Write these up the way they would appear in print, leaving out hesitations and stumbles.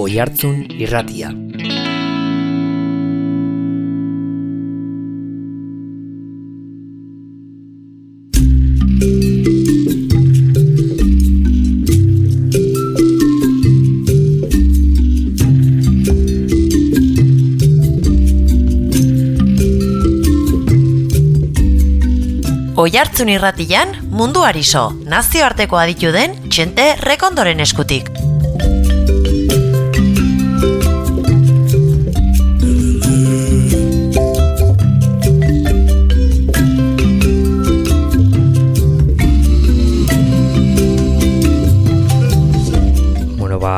Oihartzun Irratia. Oihartzun Irratian munduari so, nazioarteko aditu den Txente Rekondoren eskutik.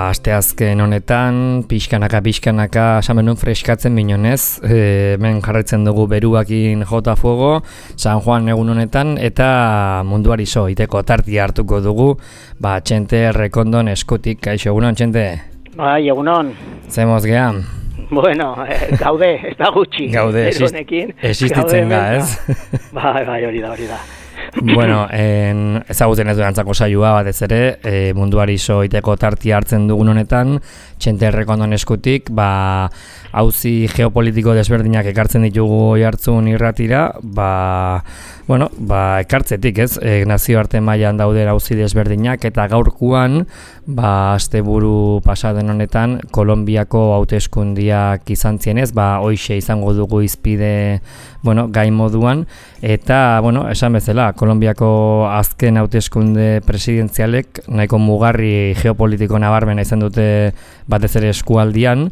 Asteazken honetan, pixkanaka samenun freskatzen minonez, hemen jarraitzen dugu beruakin jota fuego, San Juan egun honetan, eta munduari so, iteko tartia hartuko dugu, Txente Rekondon eskutik, kaixo, egunon, Txente? Bai, egunon. Zemoz geha? Bueno, gaude, ez da gutxi. Gaude, existitzen da, ez? Bai, hori da. Bueno, ezagutzen ez durantzako saioa batez ere, munduari so iteko tartia hartzen dugun honetan, Txente Rekondon eskutik, auzi geopolitiko desberdinak ekartzen ditugu Oihartzun Irratira, ekartzetik, ez? Nazioarte mailan dauden auzi desberdinak eta gaurkoan, asteburu pasaden honetan Kolonbiako hauteskundiak izan zienez, hoixe izango dugu izpide, gai moduan, eta, esan bezala, Kolonbiako azken hauteskunde presidentzialek nahiko mugarri geopolitiko nabarmena izan dute batez ere eskualdian,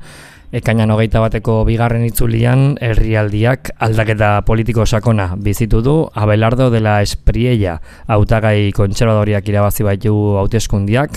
ekainan 21 bigarren itzulian herrialdiak aldaketa politiko sakona bizitu du. Abelardo de la Espriella hautagai kontserbadoriak irabazi baitu hauteskundiak,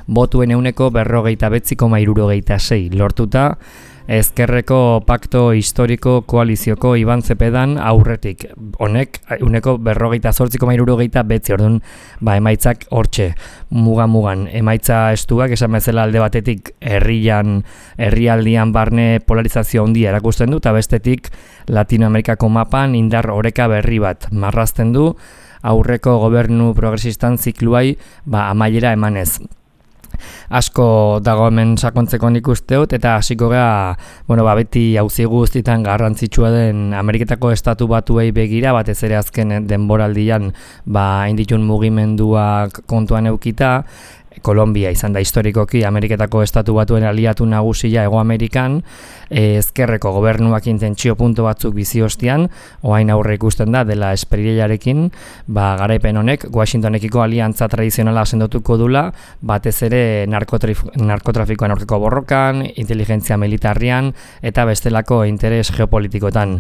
botuen 49,76 lortuta, Ezkerreko Pakto Historiko Koalizioko Iban Zepedan aurretik. Honek, 48,69, orduan, emaitzak hortxe, mugan. Emaitza estuak, esan bezala alde batetik herrialdian barne polarizazio handia erakusten du, eta bestetik Latinoamerikako mapan indar oreka berri bat marrazten du, aurreko gobernu progresistan zikluai amaiera emanez. Asko dago hemen sakontzeko nik usteot, eta hasiko gara, beti auzi guztietan garrantzitsua den Ameriketako Estatu Batuei begira, batez ere azken denboraldian inditun mugimenduak kontuan eukita. Kolombia izan da historikoki Ameriketako Estatu Batuen aliatu nagusia Hego Amerikan, ezkerreko gobernuak intentsio puntu batzuk bizi ostean, orain aurre ikusten da dela Espriellarekin, garaipen honek Washingtonekiko aliantza tradizionala sendotuko dula, batez ere narkotrafikoan aurkako borrokan, inteligentzia militarrian eta bestelako interes geopolitikotan.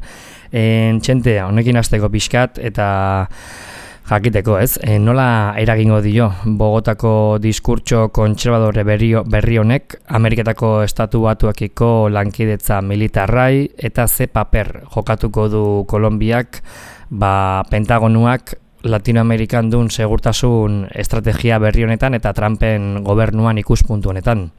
Txente, honekin hasteko pixkat eta jakiteko, ez? Nola eragingo dio Bogotako diskurtso kontserbadore berri honek Ameriketako Estatu Batuekiko lankidetza militarrai eta ze paper jokatuko du Kolonbiak Pentagonuak Latinoamerikan duen segurtasun estrategia berri honetan eta Trumpen gobernuan ikuspuntu honetan?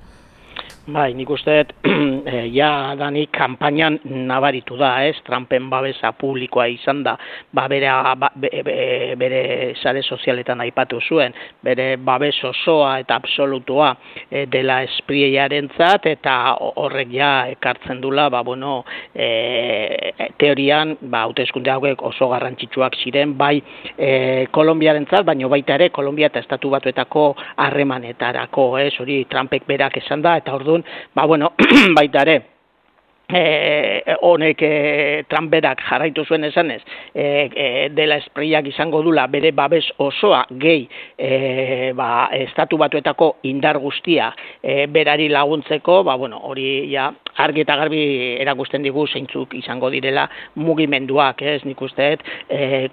Bai, nik usteet, danik kanpainan nabaritu da, ez? Trumpen babesa publikoa izan da, bere sare sozialetan aipatu zuen, bere babes osoa eta absolutua dela Espriellarentzat, eta horrek ekartzen dula, teorian, hauteskunde hauek oso garrantzitsuak ziren, Kolonbiarentzat, baina baita ere, Kolonbia eta Estatu Batuetako harremanetarako, hori Trumpek berak esan da, eta orduan, baita ere, honek Trump berak jarraitu zuen esanez, dela Espriellak izango dula bere babes osoa gehi Estatu Batuetako indar guztia berari laguntzeko, hori argi eta garbi erakusten digu zeintzuk izango direla mugimenduak, ez? Nik usteet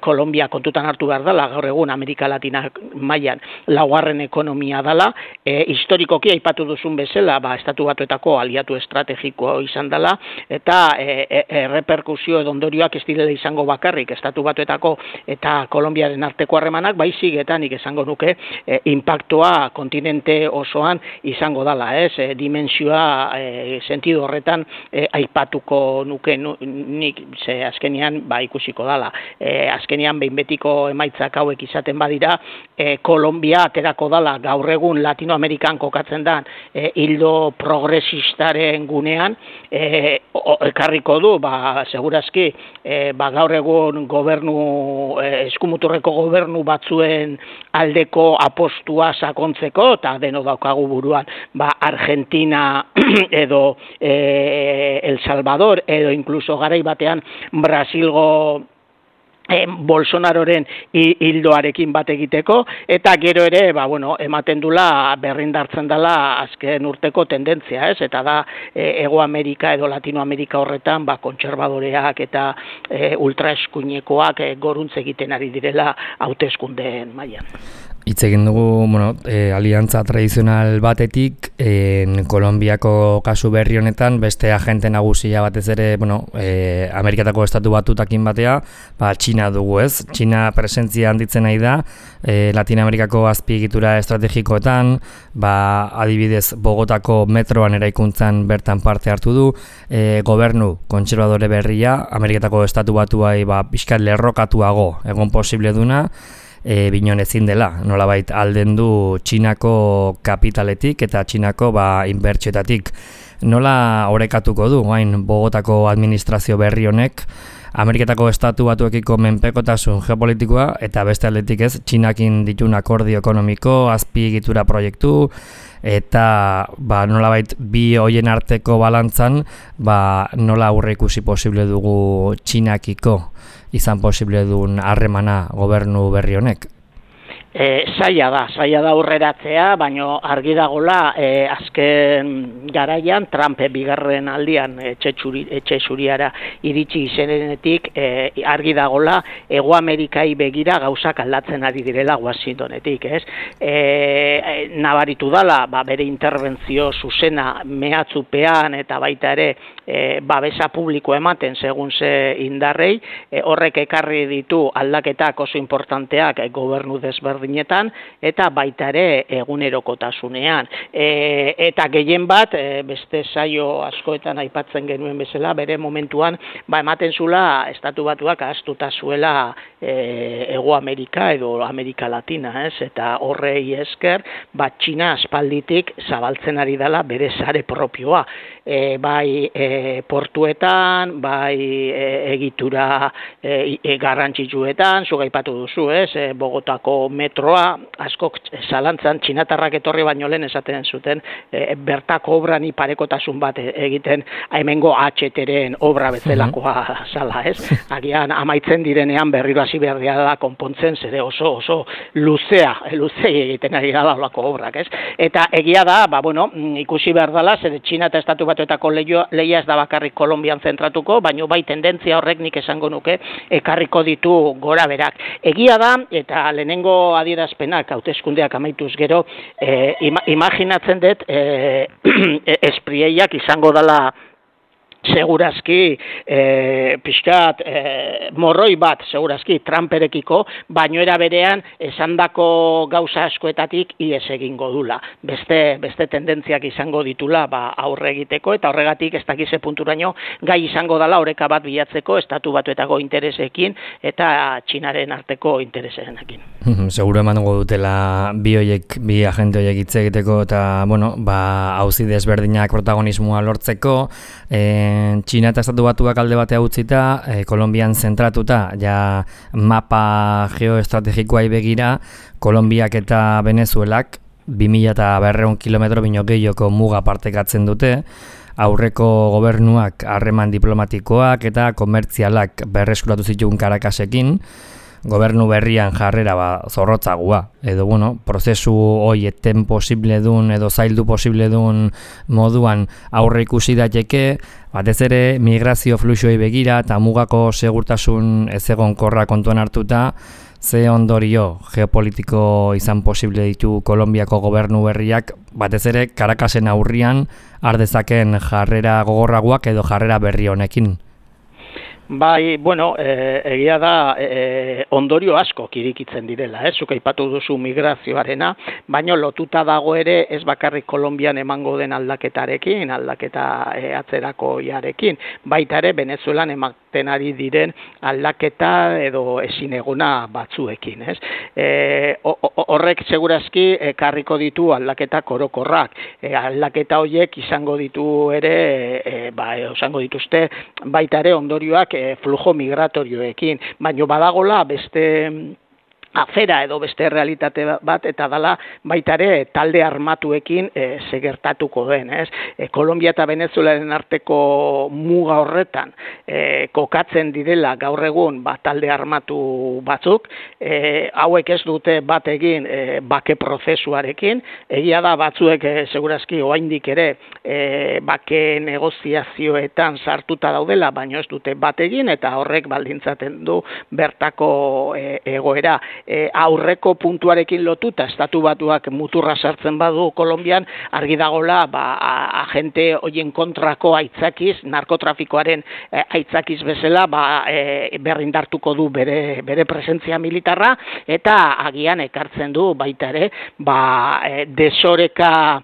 Kolombia kontutan hartu behar dela, gaur egun Amerika Latina mailan laugarren ekonomia dela, historikoki aipatu duzun bezala, Estatu Batuetako aliatu estrategikoa izan dela, eta erreperkusio edo ondorioak ez direla izango bakarrik Estatu Batuetako eta Kolonbiaren arteko harremanak, baizik eta nik esango nuke impactua kontinente osoan izango dela, ez? Dimensioa sentido horretan aipatuko nuke nik, ze azkenean ikusiko dala. Azkenean behin betiko emaitzak hauek izaten badira, Kolombia aterako dala gaur egun Latinoamerikan kokatzen da hildo progresistaren gunean, ekarriko du, segurazki, gaur egun eskumuturreko gobernu batzuen aldeko apostua sakontzeko, eta deno daukagu buruan, Argentina edo El Salvador, edo incluso garai batean Brasilgo Bolsonaroren hildoarekin bat egiteko, eta gero ere, ematen dula berrindartzen dela azken urteko tendentzia, ez? Eta da, Hego Amerika edo Latinoamerika horretan, kontserbadoreak eta ultraeskuinekoak goruntz egiten ari direla hauteskundeen mailan. Hitz egin dugu, aliantza tradizional batetik, Kolonbiako kasu berri honetan, beste agente nagusia batez ere, Amerikatako estatu batutakin batea, Txina dugu, ez? Txina presentzia handitzen nahi da, Latinoamerikako azpiegitura estrategikoetan, adibidez Bogotako metroan eraikuntzan bertan parte hartu du, gobernu kontserbadore berria, Amerikatako estatu batuai pixkat lerrokatuago egon posible duna, binon ezin dela, nolabait alden du Txinako kapitaletik eta Txinako inbertsioetatik. Nola orekatuko du, Bogotako administrazio berri honek, Ameriketako estatu batuekiko menpekotasun geopolitikoa eta beste aldetik ez, Txinakin ditun akordio ekonomiko, azpiegitura proiektu, eta nolabait bi hoien arteko balantzan, nola aurre ikusi posible dugu Txinakiko izan posible duen harremana gobernu berri honek? Zaila da aurreratzea, baina argi dagola azken garaian Trump bigarren aldian etxe zuriara iritsi izenetik argi dagola Hego Amerikai begira gauzak aldatzen ari direla Washingtonetik, ez? Nabaritu dala, bere interbentzio zuzena mehatzupean eta baita ere babesa publiko ematen segun ze indarrei, horrek ekarri ditu aldaketak oso importanteak gobernu desberdinetan eta baita ere egunerokotasunean. Eta gehien bat, beste saio askoetan aipatzen genuen bezala, bere momentuan ematen zula estatu batuak ahaztuta zuela Hego Amerika edo Amerika Latina, ez? Eta horrei esker, Txina aspalditik zabaltzen ari dela bere sare propioa. Bai portuetan, bai egitura garrantzitsuetan, zuk aipatu duzu, ez? Bogotako metroa, askok zalantzan txinatarrak etorri baino lehen esaten zuten, bertako obran parekotasun bat egiten hemengo HT-ren obra bezalakoa zala, ez? Agian amaitzen direnean berriro hasi behar da konpontzen, zere oso luzea egiten ari da olako obrak, ez? Eta egia da, ikusi behar dela, zere Txina eta Estatu Batuetako lehia ez da bakarrik Kolonbian zentratuko, baina bai tendentzia horrek nik esango nuke ekarriko ditu gora berak. Egia da, eta lehenengo adierazpenak hauteskundeak amaituz gero, imaginatzen dut esprieiak izango dela segurazki pixkat morroi bat segurazki Trumperekiko, baino era berean esandako gauza askoetatik ihes egingo dula. Beste tendentziak izango ditula aurre egiteko, eta horregatik ez dakize punturaino gai izango dela oreka bat bilatzeko Estatu Batuetako interesekin eta Txinaren arteko interesenekin. Seguro emango dutela bi agente horiek hitz egiteko eta auzi desberdinak protagonismoa lortzeko, Txina eta Estatu Batuak alde batea utzita, Kolonbian zentratuta, ja mapa geoestrategikoai begira, Kolonbiak eta Venezuelak 2.200 kilometro bino gehioko muga partekatzen dute, aurreko gobernuak harreman diplomatikoak eta komertzialak berreskuratu zituen Caracasekin, gobernu berrian jarrera zorrotzagua, edo prozesu hoi eten posible dun edo zaildu posible dun moduan aurre ikusi daiteke, batez ere migrazio fluxuei begira eta mugako segurtasun ezegonkorra kontuan hartuta, ze ondorio geopolitiko izan posible ditu Kolonbiako gobernu berriak, batez ere Caracasen aurrian ardezaken jarrera gogorragoak edo jarrera berri honekin. Bai, bueno, egia da ondorio asko kirikitzen direla, zuk aipatu duzu migrazioarena, baino lotuta dago ere ez bakarrik Kolonbian emango den aldaketarekin, aldaketa atzerakoiarekin, baita ere Venezuelan ematen ari diren aldaketa edo ezinegona batzuekin, ez? Horrek segurazki ekarriko ditu aldaketa orokorrak, aldaketa horiek izango ditu ere, izango dituzte baita ere ondorioak flujo migratorioekin, baino badagola beste afera edo beste realitate bat eta dala baita ere talde armatuekin gertatuko den, ez? Kolonbia eta Venezuelaren arteko muga horretan kokatzen direla gaur egun talde armatu batzuk, hauek ez dute bat egin bake prozesuarekin, egia da batzuek segurazki oraindik ere bake negoziazioetan sartuta daudela, baino ez dute bat egin eta horrek baldintzaten du bertako egoera. Aurreko puntuarekin lotuta estatu batuak muturra sartzen badu Kolonbian, argi dagola agente hoien kontrako aitzakiz, narkotrafikoaren aitzakiz bezala berrindartuko du bere presentzia militarra eta agian ekartzen du baita ere desoreka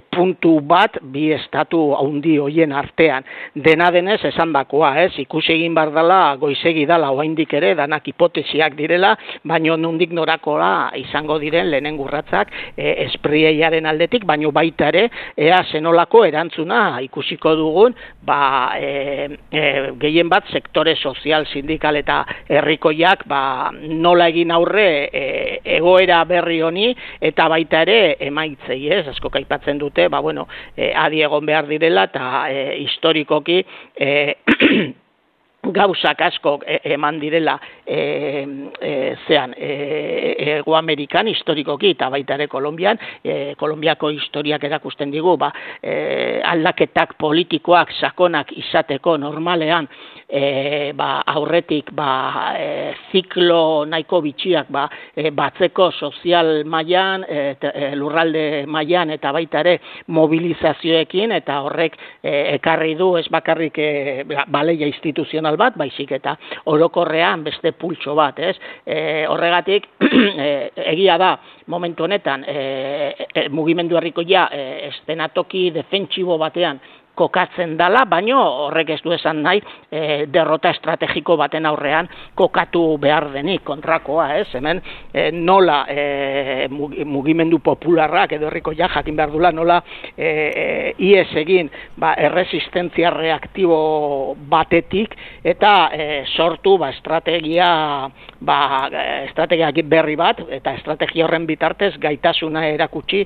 puntu bat bi estatu handi hoien artean. Dena denez esandakoa, ikusi egin behar dela, goizegi dela oraindik ere, danak hipotesiak direla, baino nondik norakoa izango diren lehenengo urratsak esprieiaren aldetik, baino baita ere ea zenolako erantzuna ikusiko dugun, gehien bat sektore sozial, sindikal eta herrikoiak nola egin aurre egoera berri honi eta baita ere emaitzei, asko aipatzen dute, adi egon behar direla eta historikoki gauzak asko eman direla Hego Amerikan historikoki eta baita ere Kolonbian, Kolonbiako historiak erakusten digu, aldaketak politikoak sakonak izateko normalean aurretik ziklo nahiko bitxiak batzeko sozial mailan, lurralde mailan eta baita ere mobilizazioekin eta horrek ekarri du ez bakarrik baleia instituzional bat, baizik eta orokorrean beste pultso bat, horregatik egia da momentu honetan mugimendu herrikoia eszenatoki defentsibo batean kokatzen dala, baino horrek ez du esan nahi derrota estrategiko baten aurrean kokatu behar denik kontrakoa, hemen nola mugimendu popularrak edo herrikoia jakin behar dula nola ies egin erresistentzia reaktibo batetik eta sortu estrategia berri bat eta estrategia horren bitartez gaitasuna erakutsi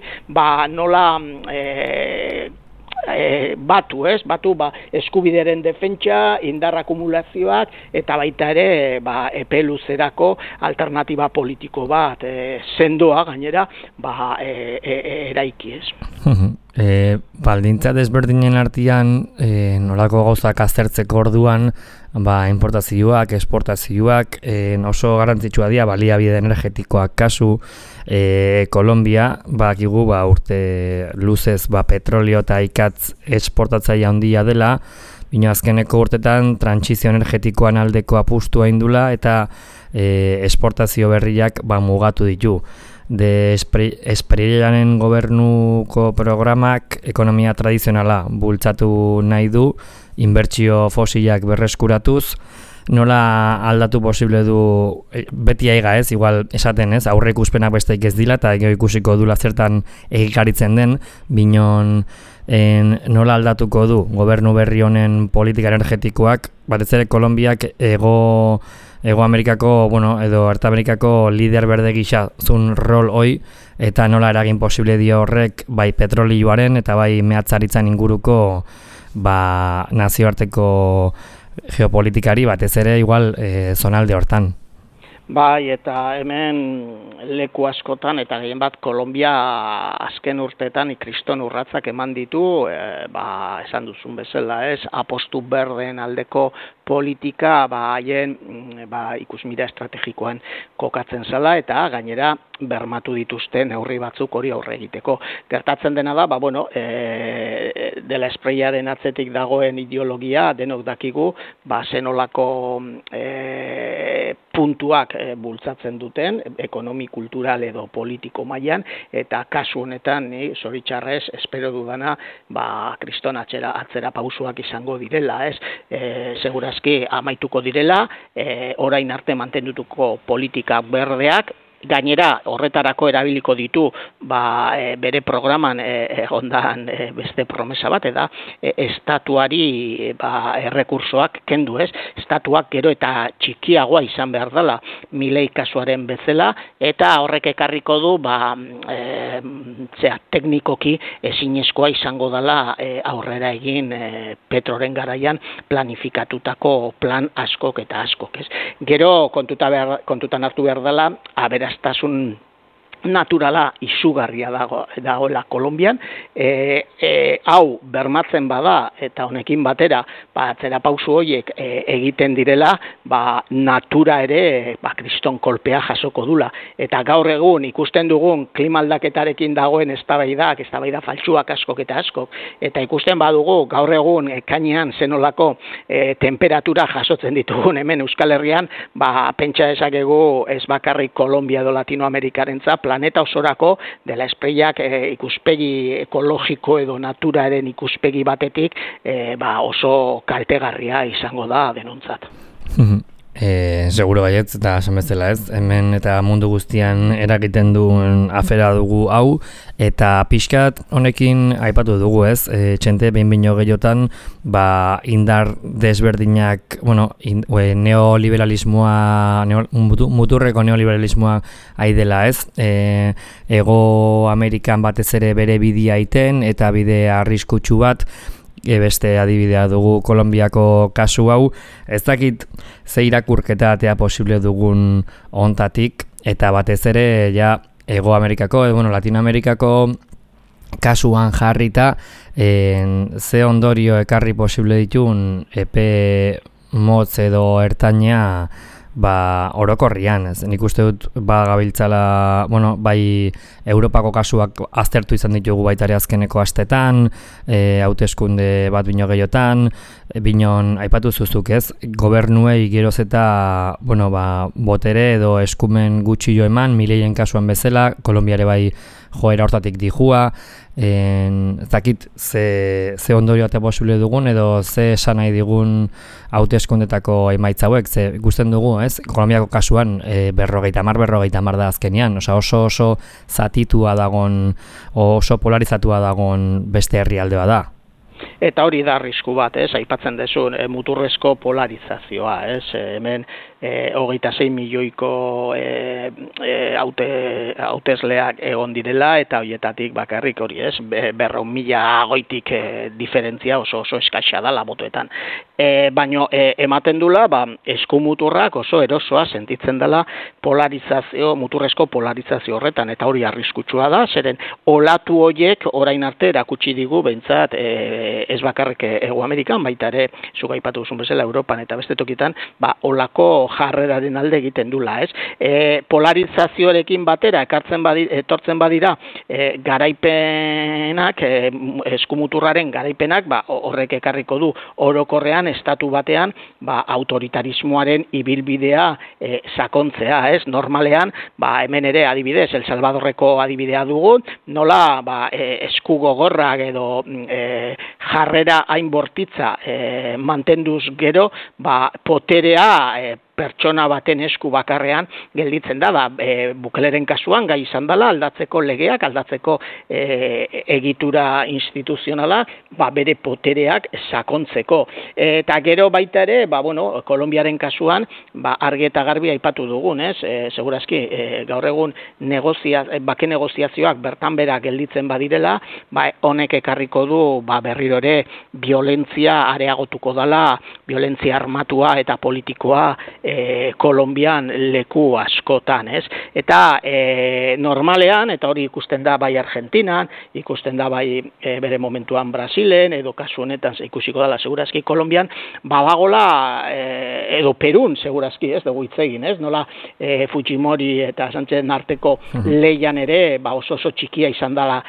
nola batu eskubideren defentsa, indar akumulazioak eta baita ere epe luzerako alternatiba politiko bat sendoa gainera eraiki, Baldintza desberdinen artean nolako gauzak aztertzeko orduan importazioak, esportazioak oso garrantzitsua dira baliabide energetikoak kasu Kolonbia bakigu urte luzez petrolio eta ikatz esportatzaile handia dela, baina azkeneko urtetan trantsizio energetikoan aldeko apustua indula eta esportazio berriak mugatu ditu. De Espriellaren gobernuko programak ekonomia tradizionala bultzatu nahi du, inbertsio fosilak berreskuratuz, nola aldatu posible du beti aiga igual esaten aurre ikuspenak besteik ez dila eta ikusiko dula zertan egikaritzen den, binon nola aldatuko du gobernu berri honen politika energetikoak, batez ere Kolonbiak Hego Amerikako, edo Erta Amerikako lider berde gisa zun rol hoi, eta nola eragin posible dio horrek bai petrolioaren eta bai mehatzaritzan inguruko nazioarteko geopolitikari batez ere igual zonalde hortan. Bai, eta hemen leku askotan, eta gehien bat Kolonbia azken urteetan kriston urratzak eman ditu, esan duzun bezala, apostu berden aldeko politika haien ikusmira estrategikoan kokatzen zela eta gainera bermatu dituzte neurri batzuk hori aurre egiteko. Gertatzen dena da, dela espraiaren atzetik dagoen ideologia, denok dakigu, zenolako puntuak bultzatzen duten, ekonomi, kultural edo politiko mailan, eta kasu honetan, ni zoritxarrez, espero dudana, kriston atzera pausuak izango direla, ez? Segurazki amaituko direla, orain arte mantendutuko politika berdeak, gainera horretarako erabiliko ditu bere programan egondan beste promesa bat, eta estatuari errekursoak kendu, ez? Estatuak gero eta txikiagoa izan behar dela Milei kasuaren bezala, eta horrek ekarriko du teknikoki ezinezkoa izango dela aurrera egin Petroren garaian planifikatutako plan askok eta askok, ez? Gero kontutan hartu behar dela aberastasun naturala izugarria dagoela Kolonbian, hau bermatzen bada eta honekin batera atzera pausu horiek egiten direla, natura ere kriston kolpea jasoko dula, eta gaur egun ikusten dugun klima aldaketarekin dagoen eztabaida faltsuak askok eta askok, eta ikusten badugu gaur egun ekainean zenolako temperatura jasotzen ditugun hemen Euskal Herrian, pentsa dezakegu ez bakarrik Kolonbia edo Latinoamerikarentzat, planeta osorako dela espraiak ikuspegi ekologiko edo naturaren ikuspegi batetik oso kaltegarria izango da denontzat. Seguro baietz, eta esan bezala ez, hemen eta mundu guztian eragiten duen afera dugu hau, eta pixkat honekin aipatu dugu ez, txente behin-bino gehiotan, indar desberdinak, neoliberalismoa, muturreko neoliberalismoa aidela ez, Ego Amerikan batez ere bere bidea iten, eta bide arriskutsu bat, beste adibidea dugu Kolonbiako kasu hau, ez dakit ze irakurketa atea posible dugun hontatik, eta batez ere Ego Amerikako, Latinoamerikako kasuan jarrita, ze ondorio ekarri posible ditun epe motz edo ertaina orokorrian, ez. Nik uste dut gabiltzala, bai Europako kasuak aztertu izan ditugu baita ere azkeneko astetan, hauteskunde bat bino gehiotan, binon aipatu zuzuk ez, gobernuei geroz eta, botere edo eskumen gutxi jo eman, Mileien kasuan bezala, Kolonbiare bai joera hortatik dijua, zakit ze ondorio eta posible dugun edo ze esan nahi digun hauteskundetako emaitza hauek, ze ikusten dugu, ez? Kolonbiako kasuan 50-50 da azkenean, oso zatitua dagon, oso polarizatua dagon beste herrialdea da. Eta hori da arrisku bat, ez? Aipatzen dezun muturrezko polarizazioa, ez? Hemen 26 milioiko hautesleak egon direla, eta horietatik bakarrik hori, ez? 400.000 goitik diferentzia oso eskaxa da botoetan. Baina ematen dula, eskumuturrak oso erosoa sentitzen dela muturrezko polarizazio horretan, eta hori arriskutsua da, zeren olatu horiek orain arte erakutsi digu behintzat ez bakarrik Ego Amerikan, baita ere, zuk aipatu duzun bezala Europan eta beste tokitan, olako jarreraren alde egiten dula, ez? Polarizazioarekin batera etortzen badira garaipenak, eskumuturraren garaipenak, horrek ekarriko du orokorrean estatu batean autoritarismoaren ibilbidea sakontzea, ez? Normalean, hemen ere adibidez, El Salvadorreko adibidea dugu, nola esku gogorrak edo jarrera hain bortitza mantenduz gero, poterea pertsona baten esku bakarrean gelditzen da, Bukeleren kasuan gai izan dela, aldatzeko legeak, aldatzeko egitura instituzionala, bere potereak sakontzeko. Eta gero baita ere, Kolonbiaren kasuan, argi eta garbi aipatu dugun, ez? Segurazki, gaur egun bake negoziazioak bertan bera gelditzen badirela, honek ekarriko du berriro ere violentzia areagotuko dela, violentzia armatua eta politikoa Kolonbian leku askotan, ez? Eta normalean, eta hori ikusten da bai Argentinan, ikusten da bai bere momentuan Brasilen, edo kasu honetan ikusiko dela segurazki Kolonbian, badagola edo Perun segurazki, ez dugu hitz egin, ez? Nola Fujimori eta Sánchezen arteko leian ere oso txikia izan dela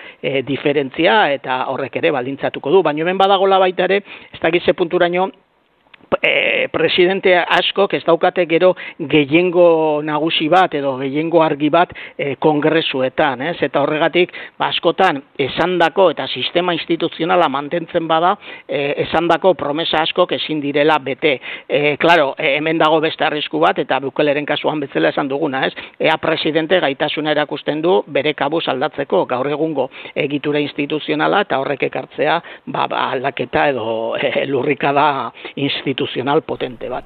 diferentzia, eta horrek ere baldintzatuko du, baina hemen badagola baita ere, ez dakit ze punturaino, presidente askok ez daukate gero gehiengo nagusi bat edo gehiengo argi bat kongresuetan, ez? Eta horregatik askotan esandako eta sistema instituzionala mantentzen bada, esandako promesa askok ezin direla bete. Claro, hemen dago beste arrisku bat, eta Bukeleren kasuan bezala esan duguna, ez? Ea presidente gaitasuna erakusten du bere kabuz aldatzeko gaur egungo egitura instituzionala, eta horrek ekartzea aldaketa edo lurrikada instituzional potente bat.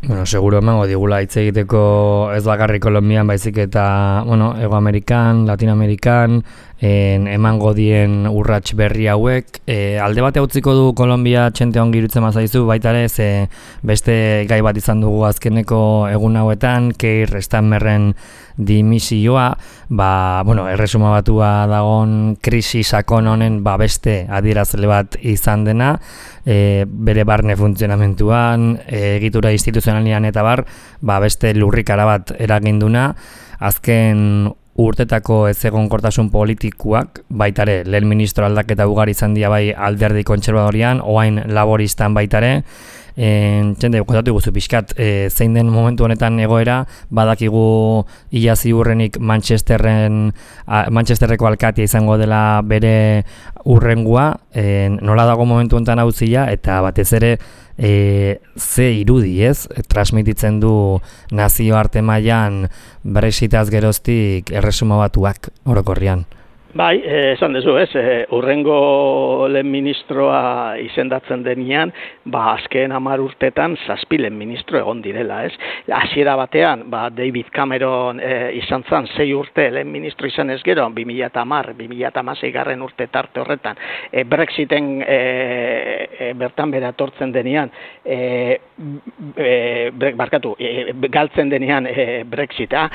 Bueno, seguro emango digula hitz egiteko ez bakarrik Kolonbian, baizik eta, bueno, Hego Amerikan, Latinoamerikan, emango dien urrats berri hauek. Alde bate utziko du Kolonbia txente ongi irutzen mazaizu, baita ere, ze beste gai bat izan dugu azkeneko egun hauetan, Keir Starmerren dimisioa, bueno, erresuma batua dagon krisi sakon honen beste adierazle bat izan dena, bere barne funtzionamentuan, egitura instituzionalian eta beste lurrikara bat eraginduna, azken urtetako ezegonkortasun politikoak, baitare, lehen ministro aldaketa ugari izan dira bai alderdi kontserbadorian, oain laboristan baitare, txende, kontatu guzu pixkat, zein den momentu honetan egoera, badakigu ia ziurrenik Manchesterreko alkatia izango dela bere urrengua, nola dago momentu honetan hauzia, eta batez ere, ze irudi, ez? Transmititzen du nazioarte mailan Brexitaz geroztik erresuma batuak orokorrian. Bai, esan dezu, ez, urrengo lehen ministroa izendatzen denean, azken 10 urtetan 7 lehen ministro egon direla, ez. Hasiera batean, David Cameron izan zen 6 urte lehen ministro izan ez gero, 2010-2016 garren urte tarte horretan, Brexiten bertan bera etortzen denean, galtzen denean Brexita,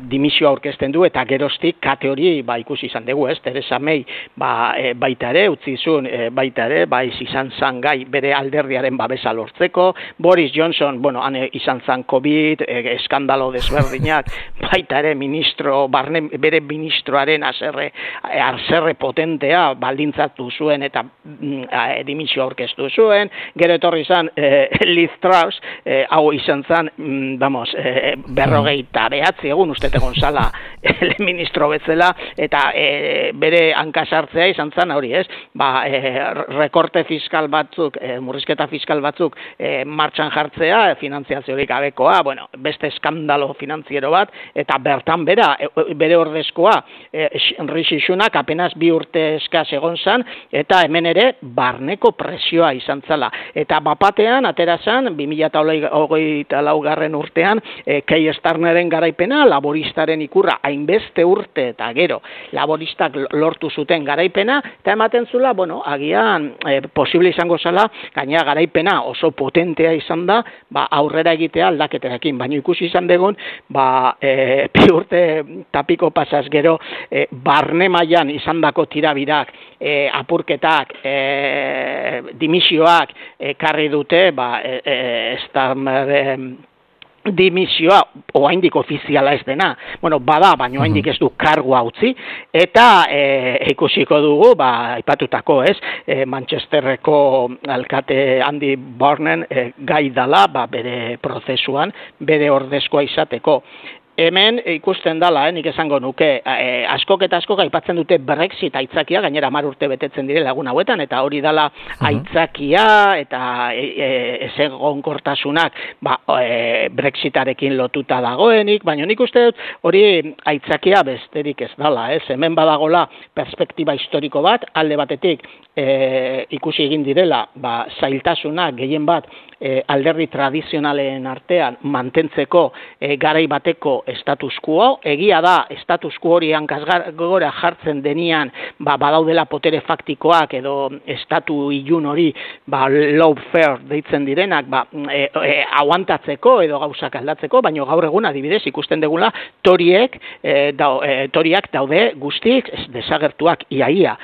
dimisioa aurkezten du, eta geroztik kate hori ikusi izan dugu, ez, Theresa May baita ere, utzizun baita ere, izan zan gai bere alderdiaren babesa lortzeko, Boris Johnson, han izan zan COVID, eskandalo desberdinak, baita ere bere ministroaren azerre potentea baldintzatu zuen eta dimisio aurkeztu zuen, gero etorri zan Liz Truss, hau izan zan, 59 egun uste egon zala ministro betzela, eta bere hankasartzea izan zen hori, ez? Rekorte fiskal batzuk, murrizketa fiskal batzuk martxan jartzea, finantziaziorik gabekoa, beste eskandalo finantziero bat, eta bertan bere ordezkoa, Rishi Sunak apenas 2 urte eskaz egon zen, eta hemen ere barneko presioa izan zela. Eta bapatean, atera zen, 2024 garren urtean, Keir Starmeren garaipena, laboristaren ikurra, hainbeste urte eta gero, laboristak lortu zuten garaipena, eta ematen zula, agian posible izango zela, gainera garaipena oso potentea izan da, aurrera egitea aldaketerakin, baina ikusi izan dugun, 2 urte tapiko pasaz gero, barne mailan izandako tirabirak, apurketak, dimisioak ekarri dute, Starmeren dimisioa, oraindik ofiziala ez dena, bada, baina oraindik ez du kargua utzi, eta ikusiko dugu, aipatutako, ez, Manchesterreko alkate Andy Burnham gai dala, bere prozesuan, bere ordezkoa izateko. Hemen ikusten dala, nik esango nuke, askok eta askok aipatzen dute Brexit aitzakia, gainera 10 urte betetzen direla egun hauetan, eta hori dala aitzakia eta ezegonkortasunak Brexitarekin lotuta dagoenik, baina nik uste dut hori aitzakia besterik ez dala, ez? Hemen badagola perspektiba historiko bat, alde batetik ikusi egin direla, zailtasunak gehien bat alderdi tradizionalen artean mantentzeko garai bateko status quo, egia da status quo hori hankasgora jartzen denian badaudela potere faktikoak edo estatu ilun hori lawfare deitzen direnak aguantatzeko edo gauzak aldatzeko, baina gaur egun adibidez ikusten degula toriak daude guztik desagertuak iaia.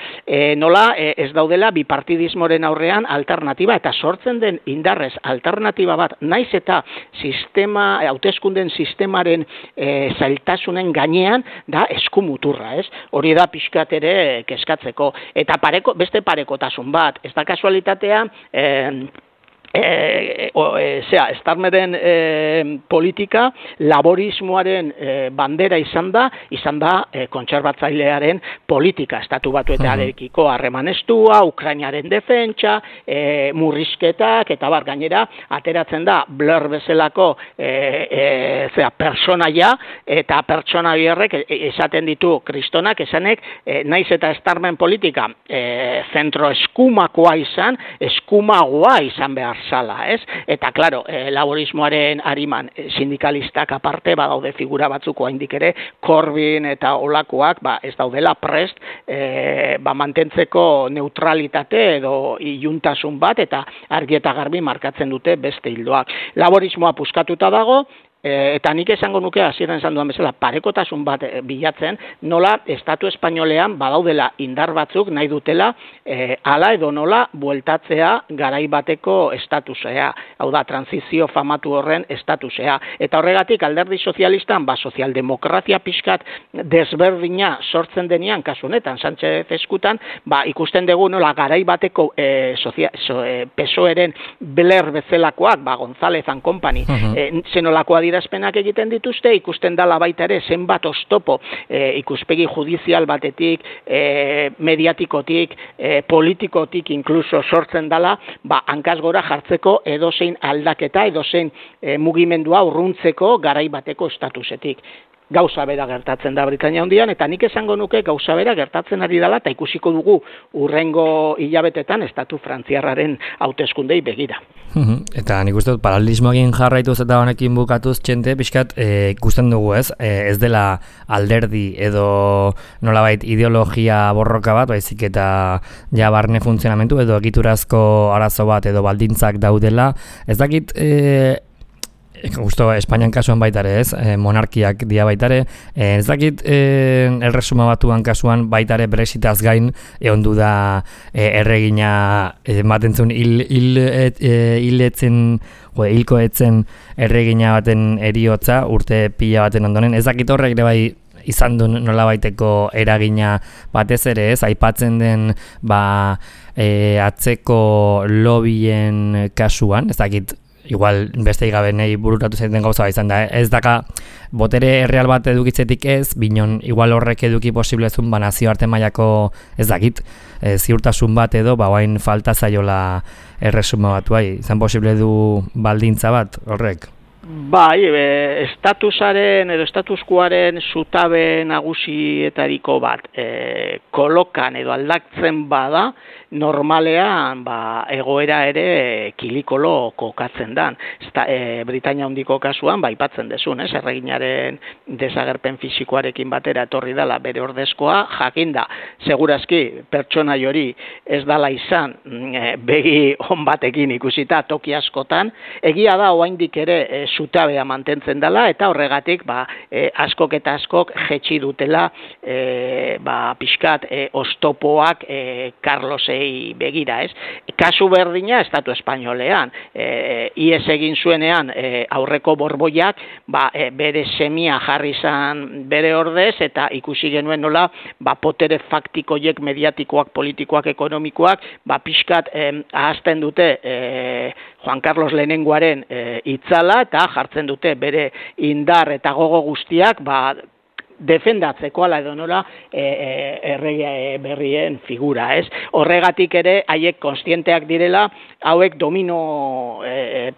Nola ez daudela bipartidismoren aurrean alternatiba eta sortzen den indarrez alternatiba bat naiz eta hauteskunden sistemaren zailtasunen gainean da eskumuturra, ez? Hori da pixkat ere kezkatzeko. Eta beste parekotasun bat, ez da kasualitatea Starmeren politika laborismoaren bandera izan da kontserbatzailearen politika, estatu batuetarekiko harreman estua, Ukrainaren defentsa, murrizketak eta gainera ateratzen da Blair bezalako personaia eta pertsona horrek esaten ditu kristonak esanek naiz eta Starmen politika zentro eskumagoa izan behar zala, ez? Eta, klaro, laborismoaren ariman sindikalistak aparte badaude figura batzuk oraindik ere Corbyn eta olakoak ez daudela prest mantentzeko neutralitate edo iluntasun bat eta argi eta garbi markatzen dute beste ildoak. Laborismoa puskatuta dago, eta nik esango nuke hasieran esan dudan bezala parekotasun bat bilatzen, nola estatu espainolean badaudela indar batzuk nahi dutela hala edo nola bueltatzea garai bateko estatusea, hau da, transizio famatu horren estatusea. Eta horregatik alderdi sozialistan sozialdemokrazia pixkat desberdina sortzen denean, kasu honetan, Sánchez eskutan, ikusten dugu nola garai bateko PSOE-ren Blair bezalakoak, González and Company, zenolakoa adierazpenak egiten dituzte, ikusten dala baita ere zenbat oztopo ikuspegi judizial batetik, mediatikotik, politikotik inkluso sortzen dala, hankaz gora jartzeko edozein aldaketa, edozein mugimendua urruntzeko garai bateko estatusetik. Gauza bera gertatzen da Britainia Handian, eta nik esango nuke gauza bera gertatzen ari dela, eta ikusiko dugu urrengo hilabetetan estatu frantziarraren hauteskundei begira. Eta nik uste dut paralelismoekin jarraituz eta honekin bukatuz txente, pixkat ikusten dugu ez dela alderdi edo nolabait ideologia borroka bat, baizik eta ja barne funtzionamentu edo egiturazko arazo bat edo baldintzak daudela. Ez dakit justo Espainian kasuan baitare monarkiak dia baitare, ez dakit Erresuma Batuan kasuan baitare Brexitaz gain egon du da erregina ematen zuen hilko etzen erregina baten eriotza urte pila baten ondoren, ez dakit horrek ere bai izan du nolabaiteko eragina batez ere, aipatzen den atzeko lobien kasuan, ez dakit igual beste gabe nahi bururatu zaiten gauza izan da, ez daka botere erreal bat edukitzetik ez, binon igual horrek eduki posiblezun nazioarte mailako ez dakit, ziurtasun bat edo bain falta zaiola Erresuma Batuai, izan posible du baldintza bat horrek? Bai, estatusaren edo statuskuaren zutabe nagusietariko bat kolokan edo aldatzen bada, normalean egoera ere kilikolo kokatzen dan. Britainia Handiko kasuan aipatzen desun, erreginaren desagerpen fisikoarekin batera etorri dela bere ordezkoa, jakinda, segurazki pertsona hori ez dala izan begi on batekin ikusita toki askotan, egia da oraindik ere zutabea mantentzen dela eta horregatik askok eta askok jetxi dutela pixkat oztopoak Carlosei begira, ez? Kasu berdina estatu espainolean, ies egin zuenean aurreko borboiak bere semia jarri izan bere ordez eta ikusi genuen nola potere faktikoiek mediatikoak, politikoak, ekonomikoak pixkat ahazten dute Juan Carlos Lehenengoaren itzala eta jartzen dute bere indar eta gogo guztiak defendatzeko ala edo nola errege berrien figura, ez? Horregatik ere haiek kontzienteak direla, hauek domino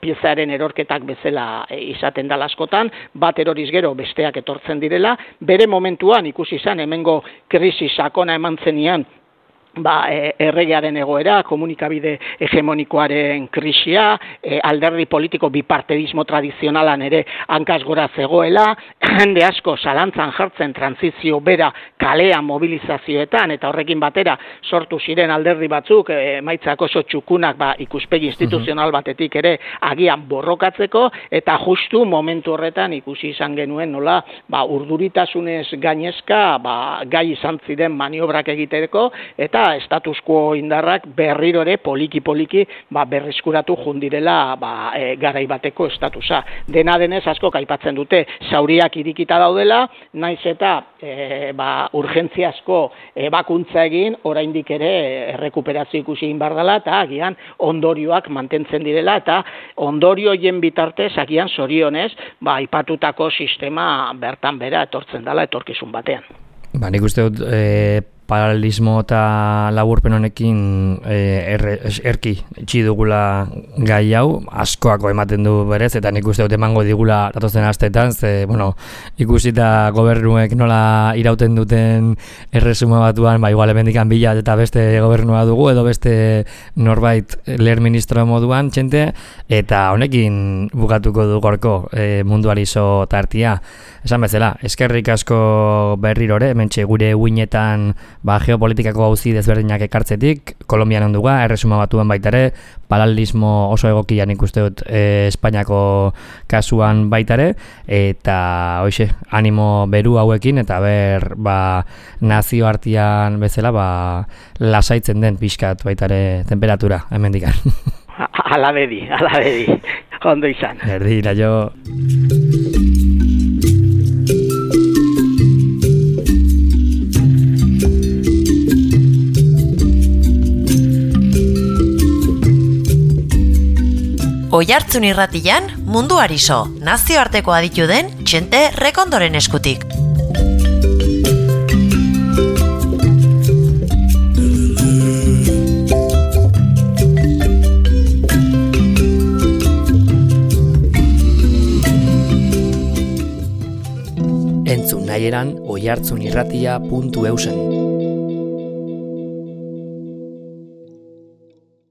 piezaren erorketak bezala izaten dela askotan, bat eroriz gero besteak etortzen direla, bere momentuan ikusi izan hemengo krisi sakona eman zenian erregearen egoera, komunikabide hegemonikoaren krisia, alderdi politiko bipartedismo tradizionalan ere hankaz gora zegoela, jende asko zalantzan jartzen trantzizio bera kalean mobilizazioetan, eta horrekin batera sortu ziren alderdi batzuk, emaitzak oso txukunak ikuspegi instituzional batetik ere agian borrokatzeko, eta justu momentu horretan ikusi izan genuen nola urduritasunez gainezka gai izan ziren maniobrak egiteko, eta status quo indarrak berriro ere poliki-poliki berreskuratu jundirela garai bateko estatusa. Dena denez askok aipatzen dute zauriak irikita daudela, naiz eta urgentziazko ebakuntza egin, oraindik ere errekuperazio ikusi egin behar dela, eta agian ondorioak mantentzen direla, eta ondorio hien bitartez agian zorionez aipatutako sistema bertan bera etortzen dela etorkizun batean. Nik uste dut paralelismo eta laburpen honekin erki itxi dugula gai hau, askoako ematen du berez, eta nik uste dut emango digula datozen asteetan, ikusita gobernuek nola irauten duten erresuma batuan, igual hemendikan bila eta beste gobernua dugu, edo beste norbait lehen ministro moduan txente, eta honekin bukatuko du gorko munduari zo tartia. Esan bezala, eskerrik asko berrirore, hementxe gure uinetan geopolitikako auzi desberdinak ekartzetik, Kolonbian onduga, erresuma batuan baita ere, paralelismo oso egokian ikuste dut Espainiako kasuan baita ere, eta hoxe, animo beru hauekin, eta ber nazio artean bezala lasaitzen den pixkat baita ere temperatura, hemendikan. Ala bedi, ondo izan. Erdi, naio. Oihartzun irratian munduari so, nazioarteko aditu den Txente Rekondoren eskutik. Entzun nahieran oihartzunirratia.eusen.